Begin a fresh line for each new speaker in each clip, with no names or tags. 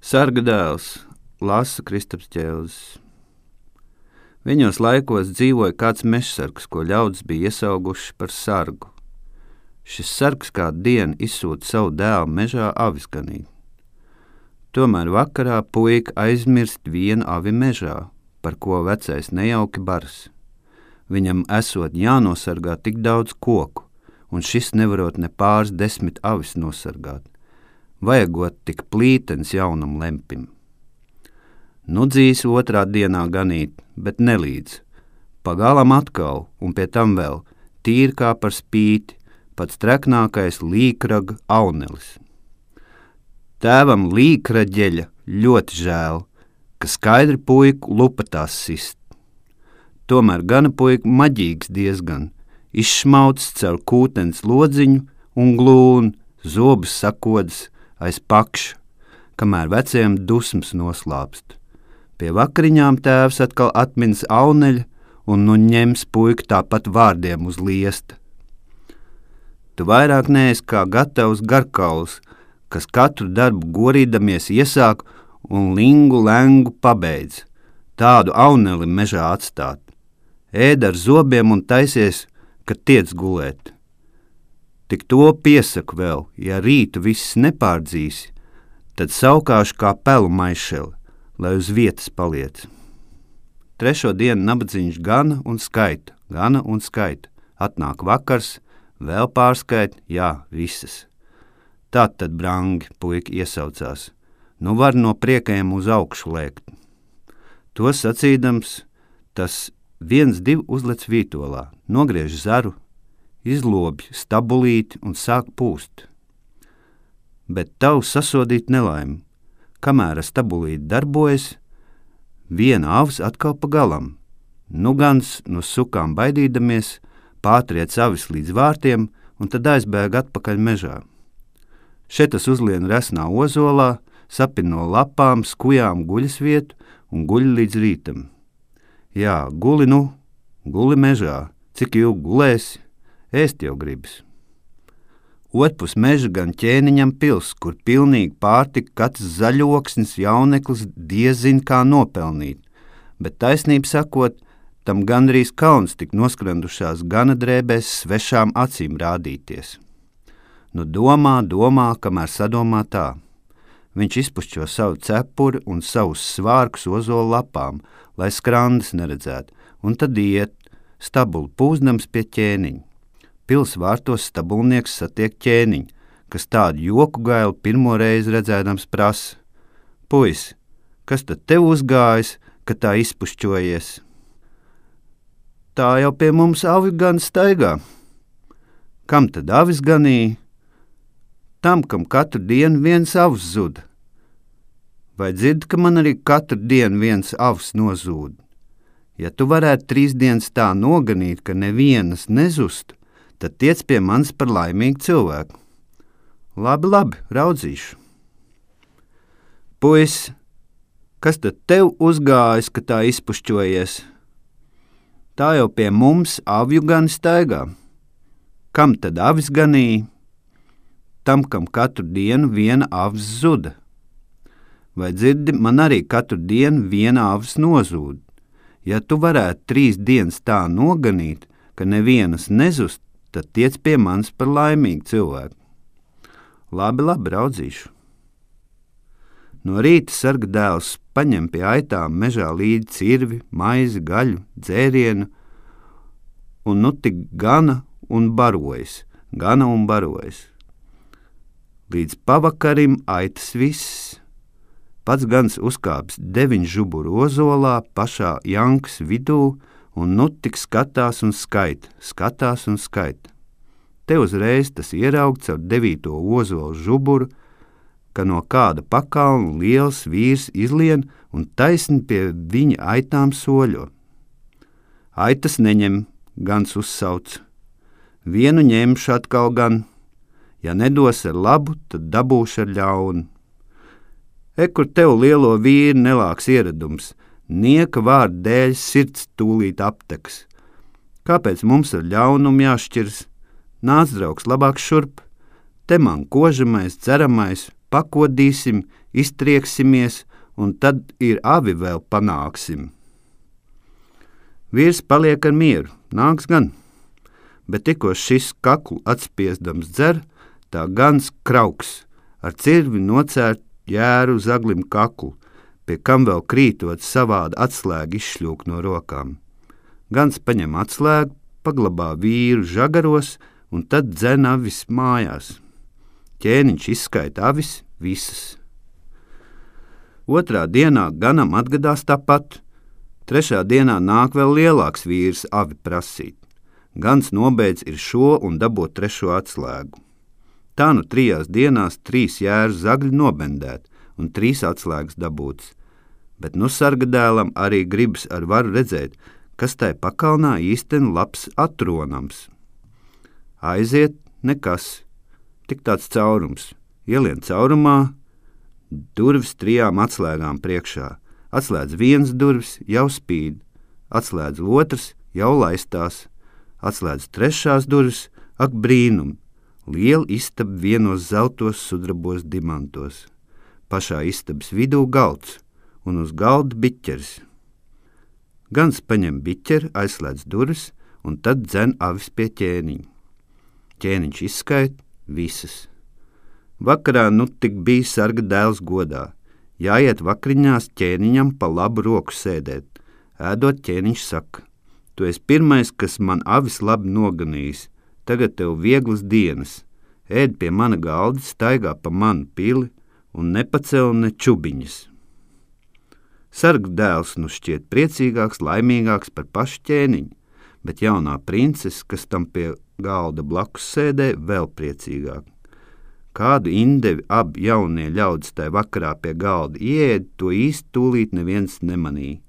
Sarga dēls lasa Kristaps Ķēlzis. Viņos laikos dzīvoja kāds mežsargs, ko ļaudis bija iesauguši par sargu. Šis sargs kādu dienu izsūta savu dēlu mežā avis ganīt. Tomēr vakarā puika aizmirst vienu avi mežā, par ko vecais nejauki baras. Viņam esot jānosargā tik daudz koku, un šis nevarot ne pāris 10 avis nosargāt. Vajagot tik plītens jaunam lempim. Nu dzīs otrā dienā ganīt, bet nelīdz. Pagalam atkal, un pie tam vēl, tīri kā par spīti, pats treknākais līkraga aunelis. Tēvam līkraģeļa ļoti žēl, ka skaidri puiku lupatās sist. Tomēr gana puika maģīgs diezgan, izšmauts caur kūtens lodziņu un glūn, zobus sakodas aiz pakša, kamēr veciem dusmas noslāpst. Pie vakariņām tēvs atkal atminas auneļa un nu ņems puiku tāpat vārdiem uz liesta. Tu vairāk neesi kā gatavs garkauls, kas katru darbu gorīdamies iesāk un lingu lengu pabeidz. Tādu auneli mežā atstāt. Ēd ar zobiem un taisies, kad tiec gulēt. Tik to piesaku vēl, ja rītu viss nepārdzīsi, tad saukāšu kā pelu maišeli, lai uz vietas paliec. 3. dienu nabadzīņš gana un skaita. Atnāk vakars, vēl pārskait, jā, visas. Tātad brangi, puika iesaucās. Nu var no priekajiem uz augšu lēkt. To sacīdams, tas 1-2 uzlec vītolā, nogriež zaru, izlobj stabulīti un sāk pūst. Bet tavu sasodīt nelaimi. Kamēr stabulīti darbojas, viena avs atkal pa galam. Nu gans no sukām baidīdamies, pātriec avis līdz vārtiem un tad aizbēg atpakaļ mežā. Šetas uzlien resnā ozolā, sapin no lapām, skujām guļas vietu un guļ līdz rītam. Jā, guli mežā, cik ilgi gulēsi, ēst jau gribas. Otpus meža gan ķēniņam pils, kur pilnīgi pārtika katrs zaļoksnis jauneklis diezin kā nopelnīt, bet taisnību sakot, tam gandrīz kauns tik noskrandušās gana drēbēs svešām acīm rādīties. Nu domā, kamēr sadomā tā. Viņš izpušķo savu cepuri un savus svārkus ozola lapām, lai skrandas neredzētu, un tad iet, stabuli pūzdams pie ķēniņa. Pils vārtos stabulnieks satiek ķēniņu, kas tādu joku gailu pirmo reizi redzēdams prasa. Puis, kas tad tev uzgājis, ka tā izpušķojies? Tā jau pie mums avi gan staigā. Kam tad avis ganīja? Tam, kam katru dienu viens avs zuda. Vai dzirdi, ka man arī katru dienu viens avs nozūd? Ja tu varētu 3 dienas tā noganīt, ka nevienas nezustu, tad tiec pie manis par laimīgu cilvēku. Labi, raudzīšu. Puis, kas tad tev uzgājis, ka tā izpušķojies? Tā jau pie mums avju gan staigā. Kam tad avis ganīja? Tam, kam katru dienu viena avs zuda. Vai dzirdi, man arī katru dienu viena avs nozūd. Ja tu varētu 3 dienas tā noganīt, ka nevienas nezust, tad tiec pie manis par laimīgu cilvēku. Labi, raudzīšu. No rīta sarga dēls paņem pie aitām mežā līdzi cirvi, maizi, gaļu, dzērienu, un nu tik gana un barojas. Līdz pavakarim aitas viss. Pats gans uzkāpis 9 žuburu ozolā, pašā jankas vidū, un nu tik skatās un skaita. Te uzreiz tas ieraug caur 9. ozolu žuburu, ka no kāda pakalna liels vīrs izlien un taisni pie viņa aitām soļo. Aitas neņem, gans uzsauc. Vienu ņemšu atkal gan. Ja nedos ar labu, tad dabūšu ar ļaunu. Kur tev lielo vīru nelāks ieradums, nieka vārda dēļ sirds tūlīt apteks. Kāpēc mums ar ļaunumu jāšķirs? Nāc, draugs, labāk šurp. Te man kožamais, dzeramais, pakodīsim, iztrieksimies, un tad ir avi vēl panāksim. Vīrs paliek ar mieru, nāks gan, bet tikko šis kaklu atspiesdams dzer, tā gans krauks, ar cirvi nocērt jēru zaglim kaklu, pie kam vēl krītot savāda atslēga izšļūk no rokām. Gans paņem atslēgu, paglabā vīru žagaros un tad dzen avis mājās. Ķēniņš izskaita avis visas. Otrā dienā ganam atgadās tāpat. Trešā dienā nāk vēl lielāks vīrs avi prasīt. Gans nobeidz ir šo un dabot trešo atslēgu. Tā nu 3 dienās 3 jēru zagļi nobendēt un 3 atslēgas dabūts. Bet nu sargadēlam arī gribas ar varu redzēt, kas tai pakalnā īsten labs atronams. Aiziet, nekas, tik tāds caurums. Ielien caurumā, durvis 3 atslēgām priekšā. Atslēdz 1 durvis, jau spīd. Atslēdz 2, jau laistās. Atslēdz 3 durvis, ak brīnum. Liela istaba vienos zeltos sudrabos dimantos. Pašā istabas vidū galds, un uz galda biķeris. Gans paņem biķeri, aizslēdz durvis, un tad dzen avis pie ķēniņa. Ķēniņš izskaita visas. Vakarā nu tik bija sarga dēls godā. Jāiet vakariņās ķēniņam pa labu roku sēdēt. Ēdot ķēniņš saka, tu esi pirmais, kas man avis labi noganījis. Tagad tev vieglas dienas. Ēd pie mana galda, staigā pa manu pili un nepacel ne čubiņas. Sarga dēls nu šķiet priecīgāks, laimīgāks par pašu ķēniņu, bet jaunā princese, kas tam pie galda blakus sēdē, vēl priecīgāk. Kādu indevi abi jaunie ļaudis tai vakarā pie galda ieēd, to īsti tūlīt neviens nemanīja,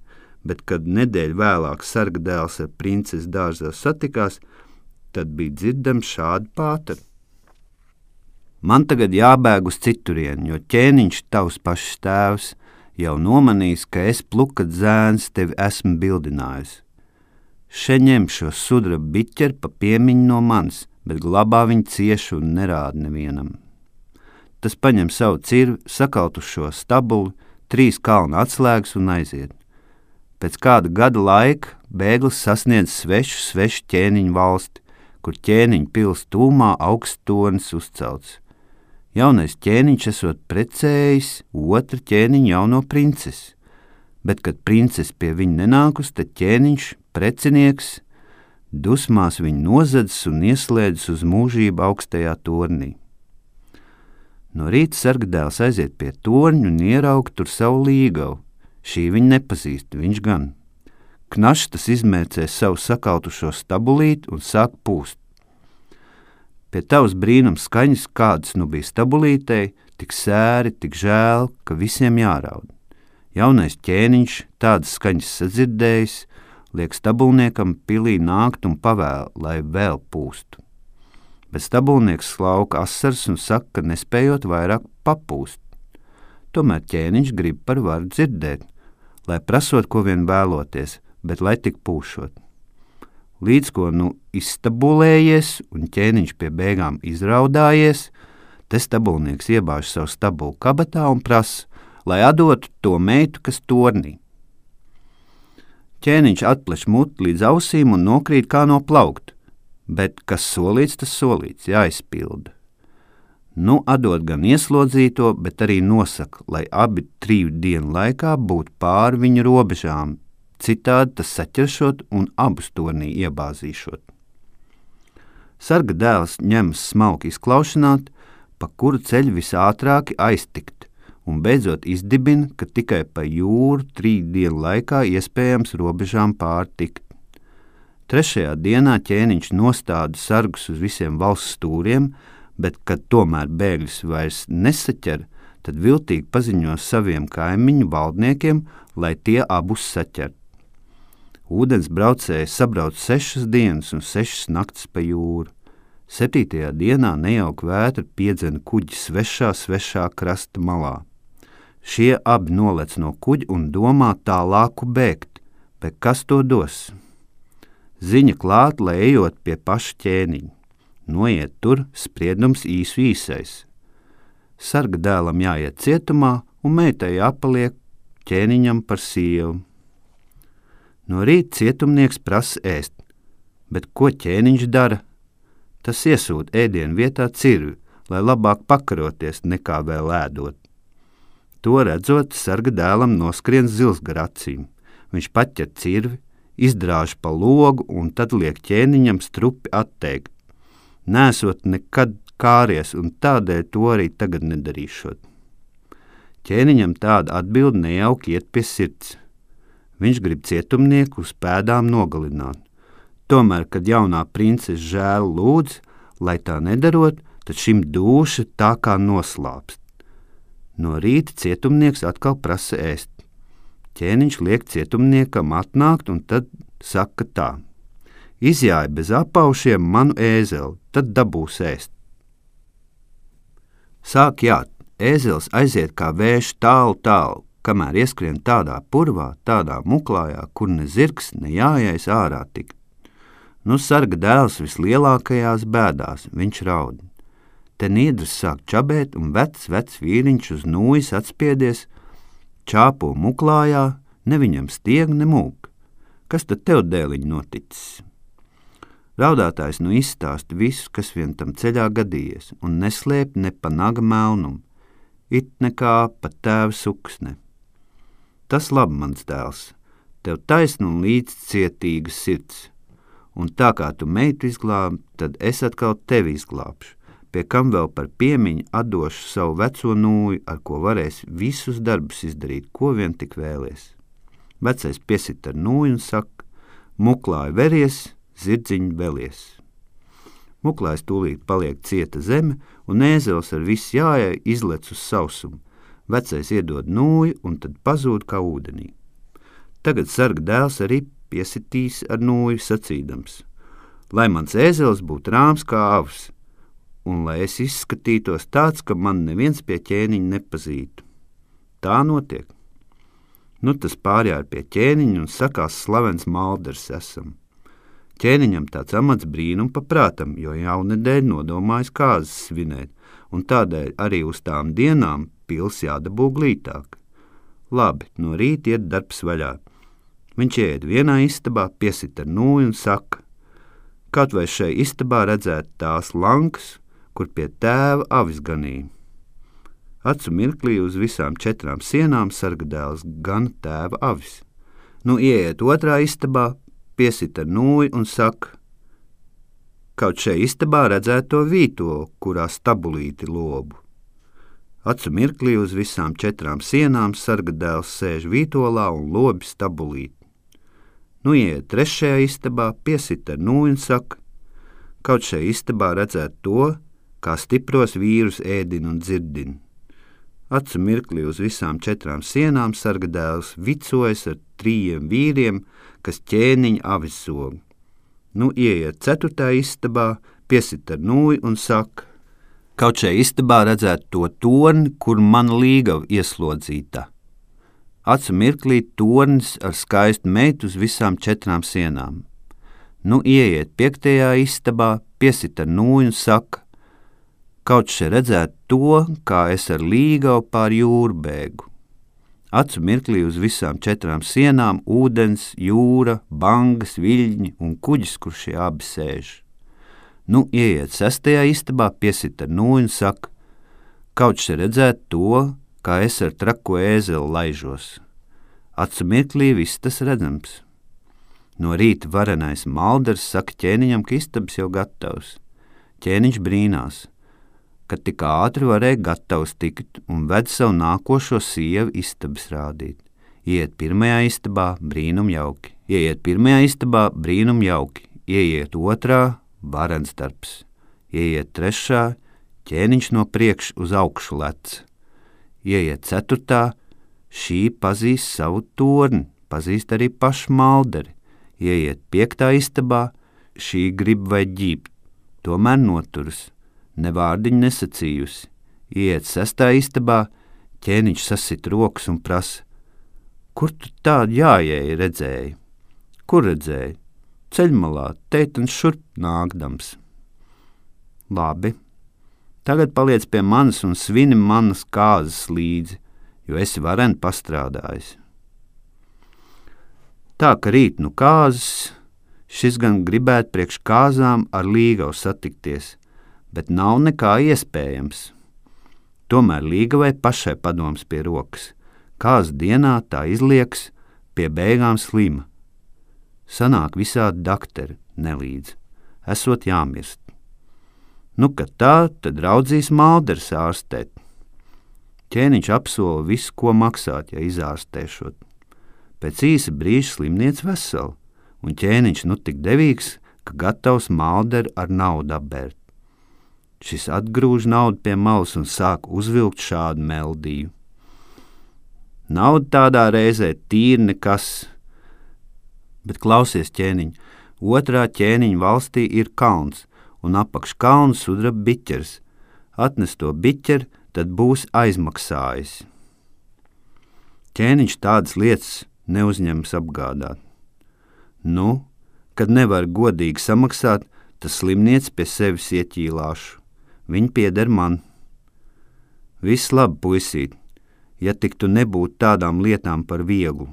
bet kad nedēļu vēlāk sarga dēls ar princesi dārzā satikās, tad bija dzirdams šādi pātari. Man tagad jābēg uz citurienu, jo ķēniņš tavs pašs tēvs jau nomanījis, ka es plukat zēns tevi esmu bildinājis. Še ņem šo sudraba biķeri pa piemiņu no manis, bet glabā viņu cieši un nerāda nevienam. Tas paņem savu cirvi, sakalt uz šo stabuli, 3 kalna atslēgas un aiziet. Pēc kāda gada laika bēglis sasniedz svešu ķēniņu valsti, kur ķēniņu pils tūmā augsts tornis uzcelts. Jaunais ķēniņš esot precējis otru ķēniņu jauno princesi, bet, kad princese pie viņa nenākus, tad ķēniņš, precinieks, dusmās viņu nozadzis un ieslēdzis uz mūžību augstajā tornī. No rīta sargadēls aiziet pie torņa un ieraug tur savu līgavu. Šī viņa nepazīst, viņš gan. Knaštas izmērcē savu sakautušo stabulīti un sāk pūst. Pie tavas brīnums skaņas, kādas nu bija stabulītei, tik sēri, tik žēl, ka visiem jāraud. Jaunais ķēniņš, tādas skaņas sadzirdējis, liek stabulniekam pilī nākt un pavēl, lai vēl pūstu. Bet stabulnieks slauka asars un saka, ka nespējot vairāk papūst. Tomēr ķēniņš grib par varu dzirdēt, lai prasot, ko vien vēloties, bet lai tik pūšot. Līdz ko nu izstabulējies un ķēniņš pie beigām izraudājies, te stabulnieks iebāž savu stabulu kabatā un prasa, lai atdotu to meitu, kas tornī. Ķēniņš atpleš muti līdz ausīm un nokrīt kā no plaukta, bet kas solīts, tas solīts, jāizpilda. Nu atdod gan ieslodzīto, bet arī nosaka, lai abi 3 dienu laikā būtu pāri viņa robežām, citādi tas saķeršot un abus tornī iebāzīšot. Sarga dēls ņemas smalki izklaušanāt, pa kuru ceļu visātrāki aiztikt, un beidzot izdibina, ka tikai pa jūru 3 dienu laikā iespējams robežām pārtikt. 3. dienā ķēniņš nostāda sargus uz visiem valsts stūriem, bet, kad tomēr bēgļus vairs nesaķer, tad viltīgi paziņo saviem kaimiņu valdniekiem, lai tie abus saķert. Ūdens braucēji sabrauc 6 dienas un 6 naktis pa jūru. 7. dienā nejauka vētra piedzena kuģi svešā krasta malā. Šie abi nolec no kuģa un domā tālāku bēgt, bet kas to dos? Ziņa klāt, lai ejot pie paša ķēniņa. Noiet tur, spriedums īsais. Sarga dēlam jāiet cietumā un meitai jāpaliek ķēniņam par sievu. No rīta cietumnieks prasa ēst, bet ko ķēniņš dara? Tas iesūta ēdienu vietā cirvi, lai labāk pakaroties nekā vēl ēdot. To redzot, sarga dēlam noskrien zils gar acīm. Viņš paķer cirvi, izdrāž pa logu un tad liek ķēniņam strupi atteikt. Nesot nekad kāries un tādēļ to arī tagad nedarīšot. Ķēniņam tāda atbilde nejauki iet pie sirds. Viņš grib cietumnieku uz pēdām nogalināt. Tomēr, kad jaunā princese žēl lūdz, lai tā nedarot, tad šim dūša tā kā noslāpst. No rīta cietumnieks atkal prasa ēst. Ķēniņš liek cietumniekam atnākt un tad saka tā: izjāja bez apaušiem manu ēzeli, tad dabūs ēst. Sāk jāt, ēzelis aiziet kā vējš tālu, kamēr ieskrien tādā purvā, tādā muklājā, kur ne zirgs, ne jājais ārā tikt. Nu sarga dēls vislielākajās bēdās, viņš raud. Te niedras sāk čabēt un vecs vīriņš uz nūjas atspiedies, čāpo muklājā, ne viņam stieg, ne mūk. Kas tad tev, dēliņ, noticis? Raudātājs nu izstāsta visu, kas vien tam ceļā gadījies, un neslēp ne pa naga melnumu, it nekā pa tēva suksne. Tas labi, mans dēls, tev taisna un līdzcietīga sirds, un tā kā tu meitu izglābi, tad es atkal tevi izglābšu, pie kam vēl par piemiņu atdošu savu veco nūju, ar ko varēs visus darbus izdarīt, ko vien tik vēlies. Vecais piesit ar nūju un saka: muklāji veries, zirdziņi velies. Muklājs tūlīt paliek cieta zeme, un ēzelis ar visu jājai izlec uz sausumu. Vecais iedod nūju un tad pazūd kā ūdenī. Tagad sarga dēls arī piesitīs ar nūju sacīdams: lai mans ēzelis būtu rāms kā avs, un lai es izskatītos tāds, ka man neviens pie ķēniņa nepazītu. Tā notiek. Nu tas pārjāja pie ķēniņa un sakās slavens Malders esam. Ķēniņam tāds amats brīnum paprātam, jo jaunedēļ nodomājis kāzas svinēt, un tādēļ arī uz tām dienām pils jādabū glītāk. Labi, no rīta iet darbs vaļā. Viņš ieiet vienā istabā, piesit ar nūju un saka: kaut vai šai istabā redzēt tās lankas, kur pie tēva avis ganīja. Acu mirklī uz visām 4 sienām sarga dēls gan tēva avis. Nu ieiet otrā istabā, piesit ar nūju un saka: kaut šai istabā redzēt to vītolu, kurā stabulīti lobu. Acu mirklī uz visām 4 sienām sarga dēls sēž vītolā un lobi stabulīti. Nu ieiet trešajā istabā, piesit ar nūju un saka: kaut šai istabā redzēt to, kā stipros vīrus ēdina un dzirdina. Acu mirklī uz visām 4 sienām sarga dēls vicojas ar 3 vīriem, kas ķēniņa avis zog. Nu ieiet 4. istabā, piesit ar nūju un saka: kaut šai istabā redzēt to torni, kur mana līgava ieslodzīta. Acu mirklī tornis ar skaistu meitu uz visām 4 sienām. Nu ieiet 5. istabā, piesit ar nūju un saka: kaut šeit redzēt to, kā es ar līgavu pār jūru bēgu. Acu mirklī uz visām 4 sienām ūdens, jūra, bangas, viļņi un kuģis, kur šie abi sēž. Nu ieiet 6. istabā, piesit ar nūju un saka: kaut šeit redzēt to, kā es ar trako ēzeli laižos. Acu mirklī viss tas redzams. No rīta varenais Malders saka ķēniņam, ka istabas jau gatavs. Ķēniņš brīnās, ka tik ātri varēja gatavs tikt un ved savu nākošo sievu istabas rādīt. Ieiet 1. istabā, brīnum jauki. Ieiet 1. istabā, brīnum jauki. Ieiet 2. varens darbs. Ieiet 3. ķēniņš no priekš uz augšu lec. Ieiet 4. šī pazīst savu torni, pazīst arī pašu Malderi. Ieiet 5. istabā, šī grib vai ģībt, tomēr noturas, ne vārdiņu nesacījusi. Ieiet 6. istabā, ķēniņš sasit rokas un prasa: kur tu tādu jājēji redzēji? Kur redzēji? Ceļmalā, teitans šurp nākdams. Labi, tagad paliec pie manis un svini manas kāzas līdzi, jo esi vareni pastrādājis. Tā, ka rīt nu kāzas, šis gan gribētu priekš kāzām ar līgavu satikties, bet nav nekā iespējams. Tomēr līgavai pašai padoms pie rokas. Kāzu dienā tā izlieks, pie beigām slima. Sanāk visādi dakteri nelīdz, esot jāmirst. Nu, kad tā, tad raudzīs Malders ārstēt. Ķēniņš apsola visu, ko maksāt, ja izārstēšot. Pēc īsa brīža slimniec vesela, un ķēniņš nu tik devīgs, ka gatavs Malderu ar naudu apbērt. Šis atgrūž naudu pie malas un sāk uzvilkt šādu meldiju. Nauda tādā reizē tīri nekas, bet klausies, ķēniņ, otrā ķēniņa valstī ir kalns, un apakš kalnu sudraba biķers. Atnes to biķeri, tad būs aizmaksājis. Ķēniņš tādas lietas neuzņems apgādāt. Nu, kad nevar godīgi samaksāt, tas slimniec pie sevis ieķīlāšu. Viņi pieder man. Viss labi, puisīt, ja tik tu nebūtu tādām lietām par vieglu.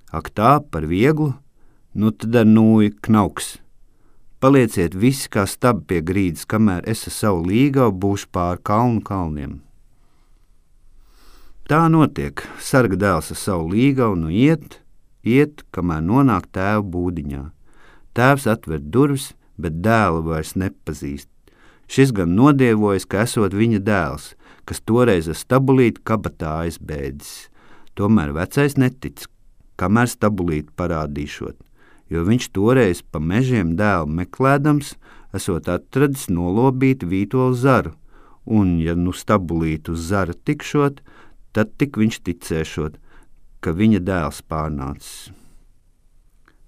Ak tā, par vieglu? Nu tad ar nūju knauks. Palieciet visi kā stabi pie grīdas, kamēr es ar savu līgavu būšu pār kalnu kalniem. Tā notiek. Sarga dēls ar savu līgavu nu iet, kamēr nonāk tēva būdiņā. Tēvs atver durvis, bet dēlu vairs nepazīst. Šis gan nodievojas, ka esot viņa dēls, kas toreiz ar stabulīti kabatā aizbēdzis. Tomēr vecais netic, kamēr stabulīti parādīšot, jo viņš toreiz pa mežiem dēlu meklēdams, esot atradis nolobīt vītolu zaru, un, ja nu stabulīti uz zara tikšot, tad tik viņš ticēšot, ka viņa dēls pārnācis.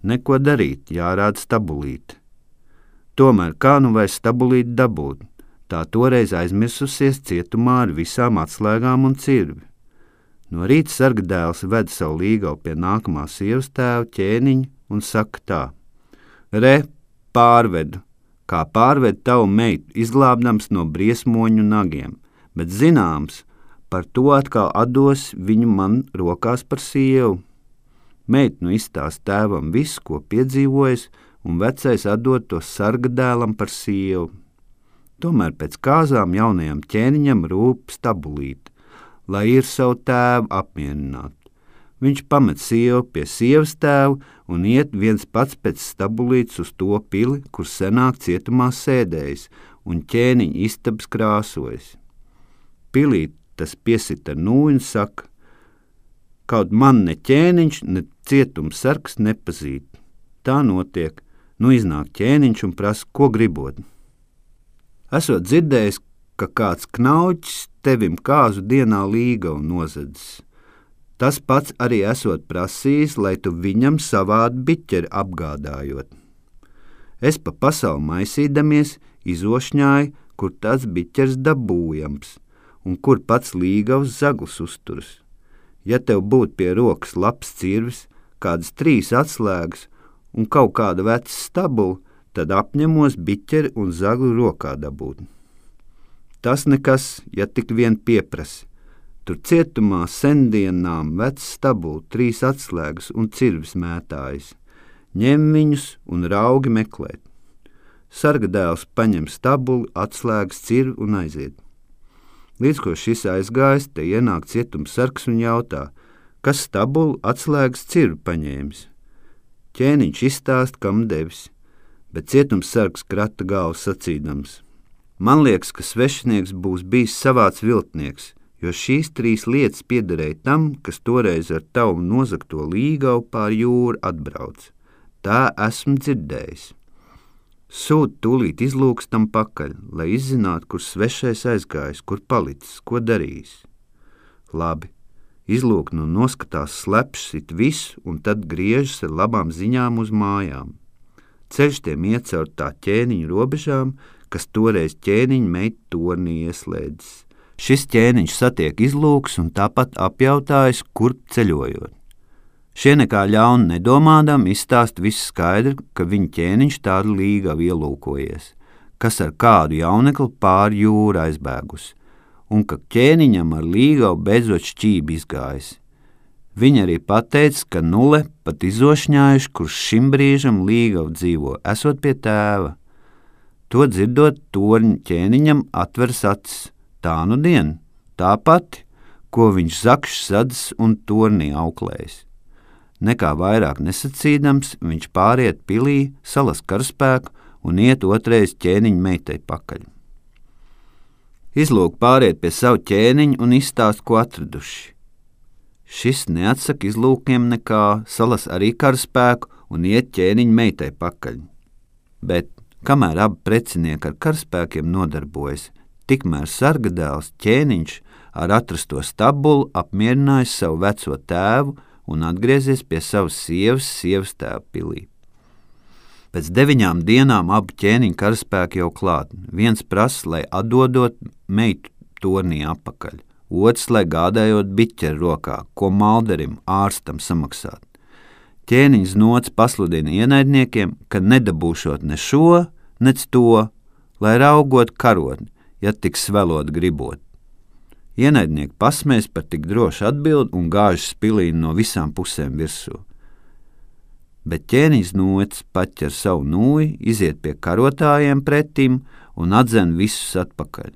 Neko darīt, jārāda stabulīti. Tomēr kā nu vairs stabulīti dabūt, tā toreiz aizmirsusies cietumā ar visām atslēgām un cirvi. No rīta sarga dēls ved savu līgavu pie nākamā sievas tēva ķēniņa un saka tā: Re, pārvedu, kā pārved tavu meitu, izglābdams no briesmoņu nagiem, bet zināms, par to atkal atdos viņu man rokās par sievu. Meita nu izstāst tēvam visu, ko piedzīvojis, un vecais atdod to sarga dēlam par sievu. Tomēr pēc kāzām jaunajam ķēniņam rūp stabulīt, lai ir savu tēvu apmierināt. Viņš pamet sievu pie sievas tēvu un iet viens pats pēc stabulītes uz to pili, kur senāk cietumā sēdējis, un ķēniņa istabas krāsojas. Pilī tas piesit ar nūju un saka: kaut man ne ķēniņš, ne cietums sargs nepazīt. Tā notiek. Nu iznāk ķēniņš un prasa, ko gribot. Esot dzirdējis, ka kāds knauķis tevim kāzu dienā līgavu nozadzis. Tas pats arī esot prasījis, lai tu viņam savādi biķeri apgādājot. Es pa pasauli maisīdamies izošņāju, kur tāds biķers dabūjams un kur pats līgavs zaglis uzturas. Ja tev būtu pie rokas labs cirvis, kādas 3 atslēgas un kaut kāda veca stabula, tad apņemos biķeri un zagli rokā dabūt. Tas nekas, ja tik vien pieprasa. Tur cietumā sendienām veca stabula, 3 atslēgas un cirvis mētājas. Ņem viņus un raugi meklēt. Sarga dēls paņem stabulu, atslēgas, cirvi un aiziet. Līdz ko šis aizgājis, te ienāk cietums sargs un jautā, kas stabulu, atslēgas, cirvi paņēmis. Ķēniņš izstāst, kam devis, bet cietums sargs krata galvu sacīdams: man liekas, ka svešinieks būs bijis savāds viltnieks, jo šīs 3 lietas piederēja tam, kas toreiz ar tavu nozagto līgavu pār jūru atbrauc. Tā esmu dzirdējis. Sūd tūlīt izlūkstam pakaļ, lai izzinātu, kur svešais aizgājis, kur palicis, ko darījis. Labi. Izlūk nu noskatās slepšs it visu un tad griežas ar labām ziņām uz mājām. Ceļš tiem iet caur tā ķēniņa robežām, kas toreiz ķēniņa meitu tornī ieslēdzis. Šis ķēniņš satiek izlūks un tāpat apjautājas, kur ceļojot. Šie nekā ļaunu nedomādam izstāst visu skaidri, ka viņa ķēniņš tādu līgavu ielūkojies, kas ar kādu jaunekli pāri jūru aizbēgusi, un ka ķēniņam ar līgavu beidzot šķībi izgājis. Viņa arī pateica, ka Nule pat izošņājuši, kurš šim brīžam līgavu dzīvo, esot pie tēva. To dzirdot, torņa ķēniņam atveras acis. Tā nu dien, tā pati, ko viņš zakšs sadzis un tornī auklējis. Nekā vairāk nesacīdams, viņš pāriet pilī, salas karaspēku un iet otrais ķēniņa meitai pakaļ. Izlūk pāriet pie savu ķēniņu un izstāst, ko atraduši. Šis neatsaka izlūkiem nekā, salas arī karaspēku un iet ķēniņa meitai pakaļ. Bet, kamēr abi precinieki ar karaspēkiem nodarbojas, tikmēr sargadēls ķēniņš ar atrasto stabulu apmierinājis savu veco tēvu un atgriezies pie savas sievas tēva pilī. Pēc 9 dienām abi ķēniņa karaspēki jau klāt. Viens prasa, lai atdodot meitu tornī apakaļ. Otrs, lai gādājot biķeru rokā, ko malderim, ārstam samaksāt. Ķēniņš Nots pasludina ienaidniekiem, ka nedabūšot ne šo, nec to, lai raugot karotni, ja tik svelot gribot. Ienaidnieki pasmēs par tik drošu atbildi un gāžas pilī no visām pusēm virsū. Bet ķēniņš Nots paķer savu nūju, iziet pie karotājiem pretim un atdzen visus atpakaļ.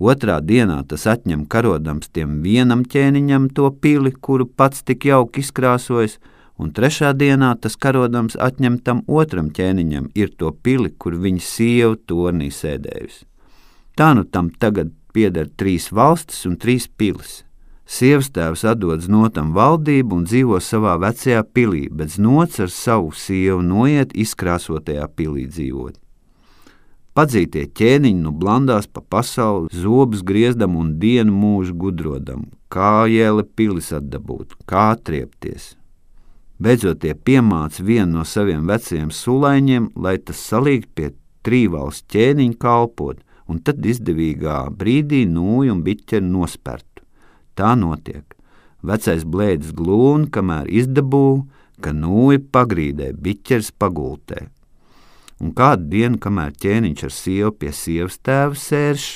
Otrā dienā tas atņem karodams tiem vienam ķēniņam to pili, kuru pats tik jauki izkrāsojis, un trešā dienā tas karodams atņem tam otram ķēniņam ir to pili, kur viņa sieva tornī sēdējusi. Tā nu tam tagad pieder 3 valstis un 3 pilis. Sievas tēvs atdod Notam valdību un dzīvo savā vecajā pilī, bet Nots ar savu sievu noiet izkrāsotajā pilī dzīvot. Padzītie ķēniņi nu blandās pa pasauli, zobus griezdam un dienu mūžu gudrodam, kā jēle pilis atdabūt, kā atriepties. Beidzot tie piemāca vienu no saviem vecajiem sulaiņiem, lai tas salīgt pie trīvalsts ķēniņa kalpot, un tad izdevīgā brīdī nūju un biķeri nospertu. Tā notiek. Vecais blēdis glūn, kamēr izdabū, ka nūja pagrīdē, biķeris pagultē. Un kādu dienu, kamēr ķēniņš ar sievu pie sievas tēva sērš,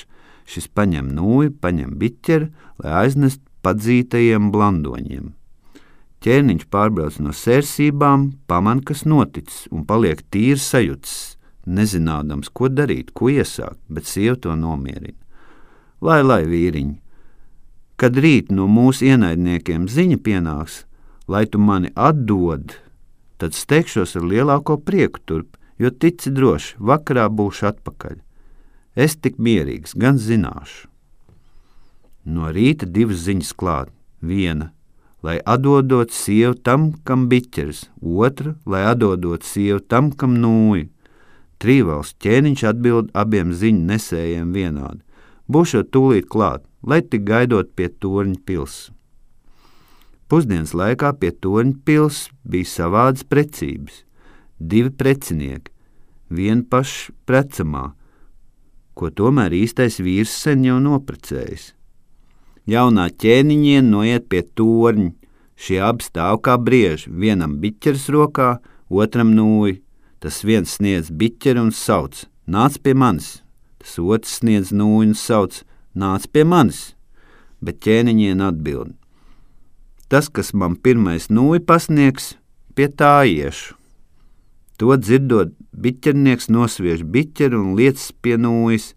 šis paņem nūju, paņem biķeri, lai aiznest padzītajiem blandoņiem. Ķēniņš pārbrauc no sērsībām, paman, kas noticis, un paliek tīri sajutis, nezinādams, ko darīt, ko iesākt, bet sieva to nomierina. Lai, vīriņi, kad rīt no mūsu ienaidniekiem ziņa pienāks, lai tu mani atdod, tad steigšos ar lielāko prieku turp, jo tici droši, vakarā būšu atpakaļ. Es tik mierīgs, gan zināšu. No rīta 2 ziņas klāt. Viena, lai atdodot sievu tam, kam biķeris, otra, lai atdodot sievu tam, kam nūju. Trīvalsts ķēniņš atbild abiem ziņu nesējiem vienādi. Būšot tūlīt klāt, lai tik gaidot pie torņa pils. Pusdienas laikā pie torņa pils bija savādas precības. 2 precinieki, vien paši precamā, ko tomēr īstais vīrs sen jau noprecējis. Jaunā ķēniņiena noiet pie torņa, šie abi stāv kā brieži, vienam biķeris rokā, otram nūju. Tas viens sniedz biķeri un sauc, nāc pie manis, tas otrs sniedz nūju un sauc, nāc pie manis, bet ķēniņiena atbild. Tas, kas man pirmais nūju pasniegs, pie tā iešu. To dzirdot, biķernieks nosviež biķeri un lietas pie nūjas,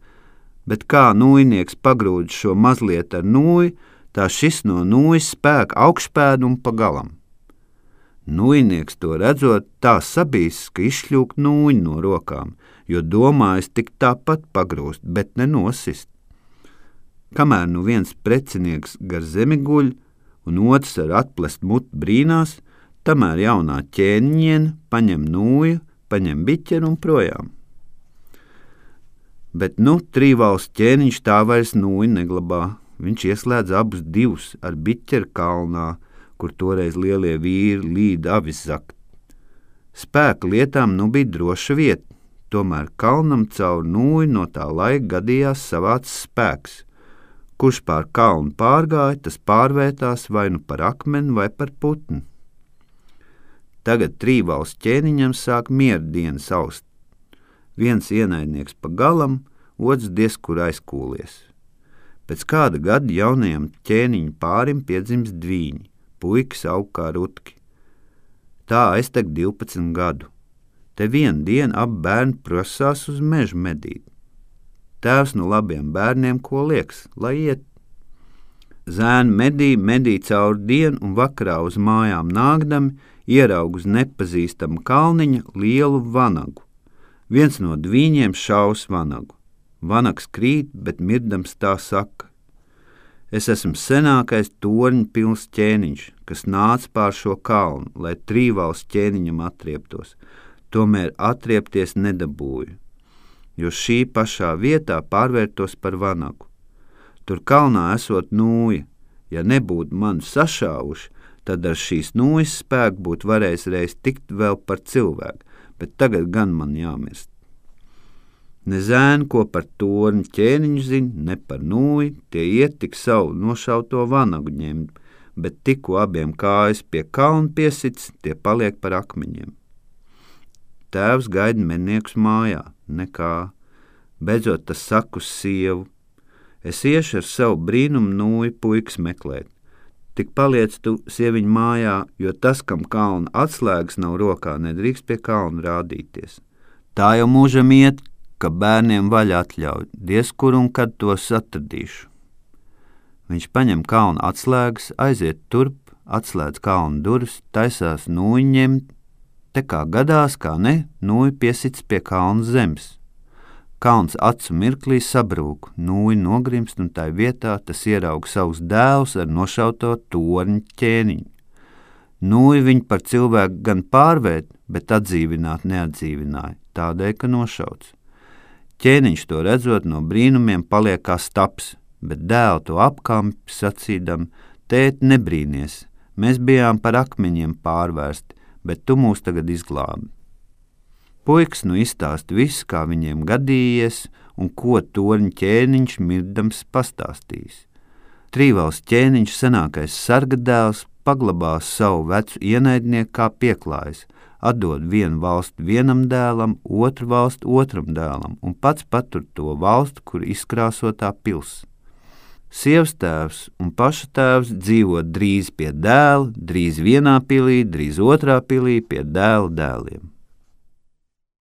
bet kā nūjnieks pagrūd šo mazliet ar nūju, tā šis no nūjas spēk augšpēdu un pa galam. Nūjnieks to redzot, tā sabīs, ka izšļūk nūju no rokām, jo domājas tik tāpat pagrūst, bet nenosist. Kamēr nu viens precinieks gar zemi guļ un otrs ar atplest muti brīnās, tamēr jaunā ķēniņiena paņem nūju, paņem biķeri un projām. Bet nu trīvalsts ķēniņš tā vairs nūju neglabā. Viņš ieslēdz abus 2 ar biķeri kalnā, kur toreiz lielie vīri līd avis zakt. Spēka lietām nu bija droša vieta, tomēr kalnam caur nūju no tā laika gadījās savāds spēks. Kurš pār kalnu pārgāja, tas pārvērtās vai nu par akmeni vai par putni. Tagad trīvalsts ķēniņam sāk miera dienas aust. Viens ienaidnieks pa galam, otrs diez kur aizkūlies. Pēc kāda gada jaunajam ķēniņu pārim piedzimst dvīņi, puikas aug kā rutki. Tā aiztek 12 gadu. Te vienu dienu abi bērni prosās uz mežu medīt. Tēvs no labiem bērniem ko lieks, lai iet. Zēni medī cauri dienu un vakarā uz mājām nākdami ieraug uz nepazīstama kalniņa lielu vanagu. Viens no dvīņiem šaus vanagu. Vanags krīt, bet mirdams tā saka: es esmu senākais torņa pilns ķēniņš, kas nāca pār šo kalnu, lai Trīvals ķēniņam atrieptos. Tomēr atriepties nedabūju, jo šī pašā vietā pārvērtos par vanagu. Tur kalnā esot nūja. Ja nebūtu mani sašāvuši, tad ar šīs nūjas spēku būtu varējis reiz tikt vēl par cilvēku, bet tagad gan man jāmirst. Ne zēni, ko par torņu ķēniņu zina, ne par nūju, tie iet tik savu nošauto vanagu ņemt, bet tikko abiem kājas pie kalna piesits, tie paliek par akmeņiem. Tēvs gaida medniekus mājā, nekā. Beidzot tas saka uz sievu: es iešu ar savu brīnumu nūju puikas meklēt. Tik paliec tu sieviņu mājā, jo tas, kam kalna atslēgas nav rokā, nedrīkst pie kalna rādīties. Tā jau mūžam iet, ka bērniem vaļa atļauj, diez kur un kad tos atradīšu. Viņš paņem kalna atslēgas, aiziet turp, atslēdz kalna durvis, taisās nūju ņemt, te kā gadās, kā ne, nūju piesits pie kalna zemes. Kalns acu mirklī sabrūk, nūja nogrimst un tai vietā tas ieraug savus dēlus ar nošauto torņu ķēniņu. Nūja viņu par cilvēku gan pārvērt, bet atdzīvināt neatdzīvināja, tādēļ, ka nošauts. Ķēniņš to redzot no brīnumiem paliek kā staps, bet dēlu to apkampi sacīdam: tēt, nebrīnies, mēs bijām par akmeņiem pārvērsti, bet tu mūs tagad izglābi. Puikas nu izstāst visu, kā viņiem gadījies un ko torņa ķēniņš mirdams pastāstījis. Trīvals ķēniņš, senākais sarga dēls, paglabās savu vecu ienaidnieku kā pieklājs, atdod vienu valstu vienam dēlam, otru valstu otram dēlam un pats patur to valstu, kur izkrāsotā pils. Sievas tēvs un paša tēvs dzīvo drīz pie dēla, drīz vienā pilī, drīz otrā pilī pie dēla dēliem.